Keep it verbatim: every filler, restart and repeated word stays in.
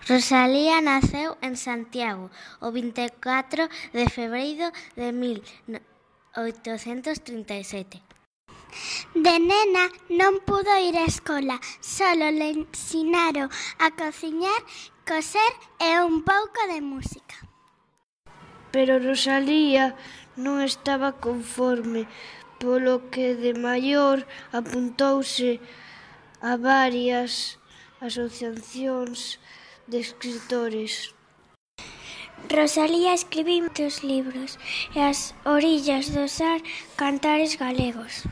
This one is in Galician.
Rosalía naceu en Santiago o vinte e catro de febreiro de mil oitocentos trinta e sete. De nena non pudo ir á escola, solo le ensinaron a cociñar, coser e un pouco de música. Pero Rosalía non estaba conforme, polo que de maior apuntouse a varias asociacións de escritores. Rosalía escribiu moitos libros e As orillas do Sar, Cantares galegos.